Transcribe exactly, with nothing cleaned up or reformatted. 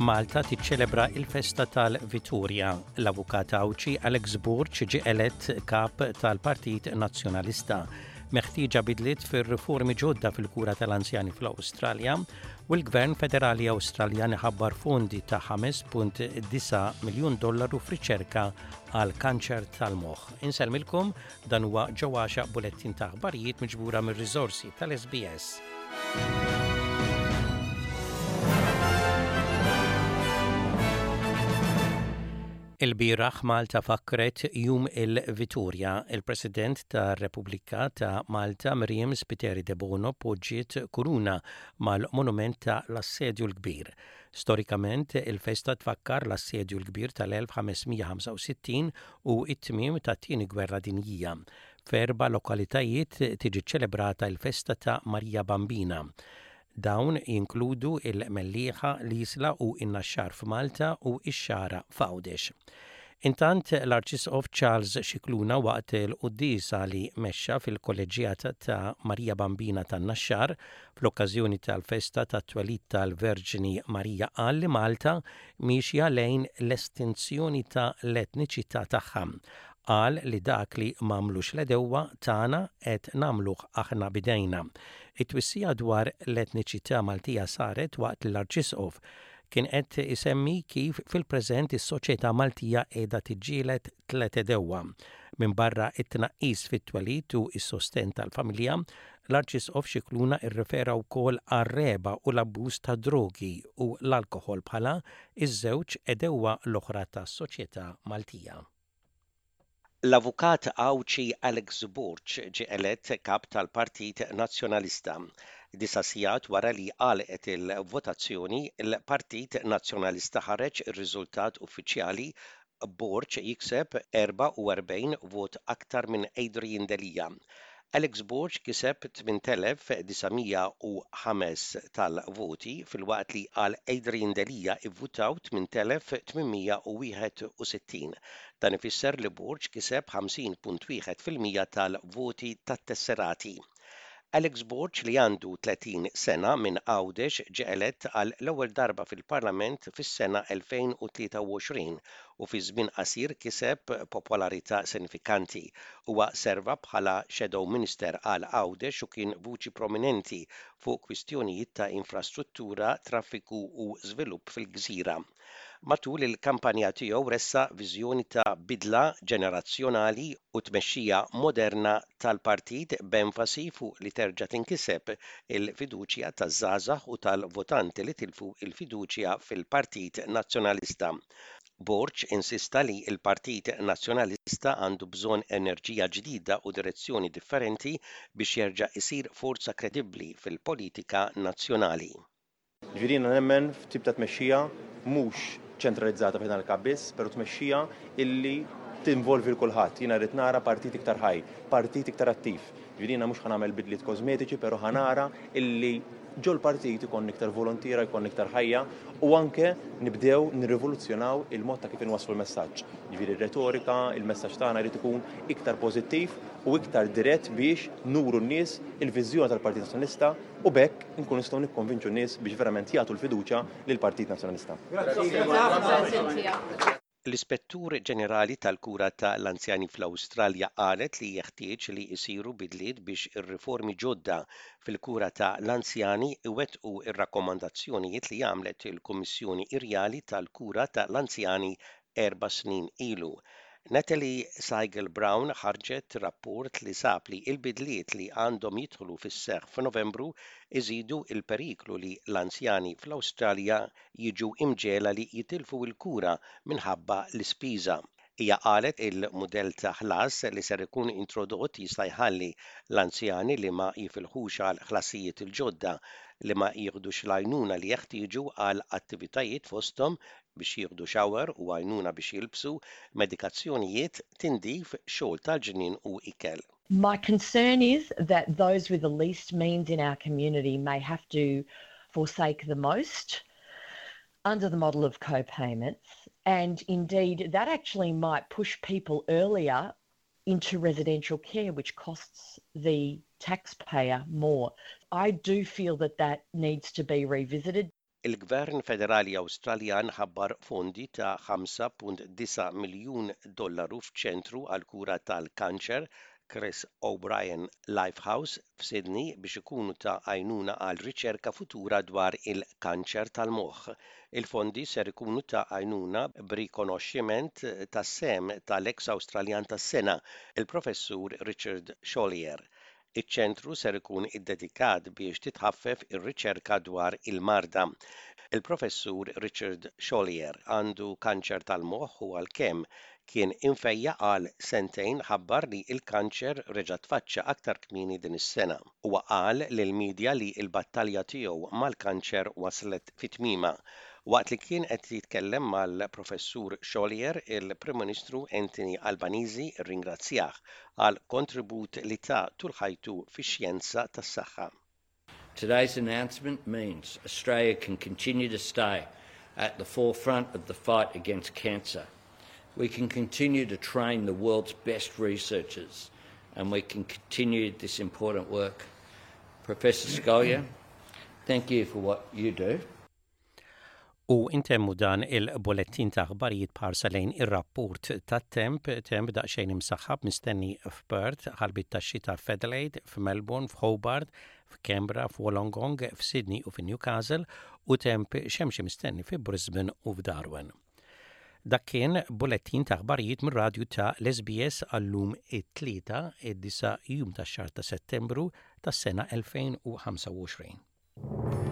Malta tiċċelebra il-festa tal-Vitorja. L-avukat Għawdxi Alex Borg ġie elett kap tal-Partit Nazzjonalista. Meħtieġa bidliet fir-riformi ġodda fil-kura tal-anzjani fl-Awstralja u l-Gvern Federali Awstraljan ħabbar fondi ta' ħames punt disgħa miljun dollaru f'riċerka għal kanċer tal-moħħ. Insellmilkom, dan huwa Ġew Għaxaq, bulettin ta' aħbarijiet miġbura mir-riżorsi tal-S B S. Il-bieraħ Malta fakret Jum il-Vitorja. Il-President ta' Repubblika ta' Malta, Miriam Spiteri Debono, poġġiet kuruna mal-monument ta' l-Assedju l-Kbir. Storikament, il-festa tfakkar l-Assedju l-Kbir tal-elf ħames mija ħamsa u sittin u it-tmiem ta' Tieni Gwerra Dinjija. F'erba' lokalitajiet tiġi ċelebrata il-festa ta' Marija Bambina. Dawn jinkludu il-Mellieħa, l-Isla u in-Naxxar f'Malta u ix-Xagħra f'Għawdex. Intant, l-Arċisqof Charles Scicluna, waqt il-quddiesa li mexxa fil-kolleġjata ta' Marija Bambina tan-Naxxar fl-okkażjoni tal-festa tat-twelid tal-Verġni Marija, qal li Malta miexja lejn l-estinzjoni ta' l-etniċità tagħha. Qal li dak li m'għamlux l-għedewwa tagħna qed nagħmluh aħna b'idejna. It-twissija dwar l-etniċità Maltija saret waqt l-Arċisqof kien qed isemmi kif fil-preżent is-soċjetà Maltija qiegħda tiġġieled tliet għedewwa. Minn barra it-tnaqqis fit-twelid u s-sosten tal-familja, l-Arċisqof Scicluna irrefera wkoll għar-regħba u l-abbuż ta' drogi u l-alkoħol bħala iż-żewġ għedewwa l-oħra tas-soċjetà Maltija. L-avukat Għawdxi Alex Borg ġie elett kap tal-Partit Nazzjonalista. Disa' sigħat wara li għalqet il-votazzjoni, il-Partit Nazzjonalista ħareġ ir-riżultat uffiċjali, Borg jikseb erbgħa u erbgħin vot aktar minn Adrian Delia. Alex Borg kiseb tmint elef disa' mija u ħames tal-voti, filwaqt li għal Adrian Delia ivvutaw tmint elef tmien mija u wieħed u sittin. Dan ifisser li Borg kiseb ħamsin punt wieħed fil-mija tal-voti tat-tesserati. Alex Borg, li għandu tletin sena minn Għawdex, ġie elett għal l-ewwel darba fil-Parlament fis-sena elfejn u tlieta u għoxrin u fi żmien qasir kiseb popolarità sinifikanti. Huwa serva bħala Shadow Minister għal Għawdex u kien vuċi prominenti fuq kwistjonijiet ta' infrastruttura, traffiku u żvilupp fil-gżira. Matul il-kampanja tiegħu ressaq viżjoni ta' bidla ġenerazzjonali u tmexxija moderna tal-partit, b'enfasi fuq li terġa' tinkiseb il-fiduċja taż-żgħażagħ u tal-votanti li tilfu il-fiduċja fil-Partit Nazzjonalista. Borg insista li l-Partit Nazzjonalista għandu bżonn enerġija ġdida u direzzjoni differenti biex jerġa' isir forza kredibbli fil-politika nazzjonali. Ġifieri nemmen f'tip ta' tmexxija mhux ċentralizzata fejn il-kap biss, però tmexxija illi tinvolvi 'l kulħadd. Jiena rrid nara partit iktar ħaj, partit iktar attiv. Ġifieri jiena mhux ħa nagħmel bidliet kosmetiċi, però ħa nara illi ġol partit ikun iktar volontiera, ikun iktar ħajja u anke nibdew nirrivoluzzjonaw il-mod ta' kif inwasslu l-messaġġ. Ġifieri r-retorika, il-messaġġ tagħna jrid ikun iktar pożittiv u iktar dirett biex nuru n-nies il-viżjoni tal-Partit Nazzjonalista u b'hekk nkun nistgħu nikkonvinċu n-nies biex verament jagħtu l-fiduċja lill-Partit Nazzjonalista. L-Ispettur Ġenerali tal-Kura ta' l-Anzjani fl-Awstralja qalet li jeħtieġ li jsiru bidliet biex ir-riformi ġodda fil-kura ta' l-anzjani iwettqu ir-rakkomandazzjonijiet li għamlet il-Kummissjoni Irjali tal-Kura ta' l-Anzjani erba' snin ilu. Natalie Siegel Brown ħarġet rapport li sab li l-bidliet li għandhom jidħlu fis-seħħ f'Novembru iżidu il-periklu li l-anzjani fl-Awstralja jiġu imġiegħla li jitilfu l-kura minħabba l-ispiża. Hija qalet il-mudell ta' ħlas li ser ikun introdott jista' jħalli l-anzjani li ma jifilħux għal ħlasijiet il-ġodda li ma jieħdux l-għajnuna li jeħtieġu għal attivitajiet, fosthom biex jieħdu shower u għajnuna biex jilbsu, medikazzjonijiet, tindif, xogħol tal-ġnien u ikel. My concern is that those with the least means in our community may have to forsake the most under the model of co-payments, and indeed that actually might push people earlier into residential care, which costs the taxpayer more. I do feel that that needs to be revisited. Il-Gvern Federali Awstraljan ħabbar fondi ta' ħamsa punt disgħa miljun dollaru f'ċentru għal kura tal-kanċer Chris O'Brien Lifehouse f'Sydney biex ikunu ta' għajnuna għal riċerka futura dwar il-kanċer tal-moħħ. Il-fondi ser ikunu ta' għajnuna b'rikonoxximent tas-sehem tal-ex Awstraljan tas-sena, il-Professur Richard Scolyer. Iċ-ċentru ser ikun iddedikat biex titħaffef ir-riċerka dwar il-marda. Il-Professur Richard Scolyer għandu kanċer tal-moħħ u għalkemm kien imfejjaq għal sentejn, ħabbar li il-kanċer reġa' tfaċċa aktar kmieni din is-sena. Huwa qal lill-medja li l-battalja tiegħu mal-kanċer waslet fit-tmiema. Waqt li kien qed jitkellem mal-Professur Scolyer, il-Prim Ministru Anthony Albanese rringrazzjah għal kontribut li ta tul ħajtu fix-xjenza tas-saħħa. Today's announcement means Australia can continue to stay at the forefront of the fight against cancer. We can continue to train the world's best researchers and we can continue this important work. Professor Scolyer, thank you for what you do. U intemmu dan il-bolettin ta' aħbarijiet b'ħarsa lejn ir-rapport ta' temp. Temp daqsxejn imsaħħab mistenni f'Perth, ħalbiet ta' xita f'Adelaide, f'Melbourne, f'Hobart, f'Canberra, f'Wollongong, f'Sydney u f'Newcastle u temp xemxi mistenni fi Brisbane u f'Darwin. Dak kien bolettin ta' aħbarijiet mir-radju ta' l-S B S għallum, it-Tlieta, id-disa' jum tax-xahar ta' Settembru tas-sena elfejn u ħamsa u għoxrin.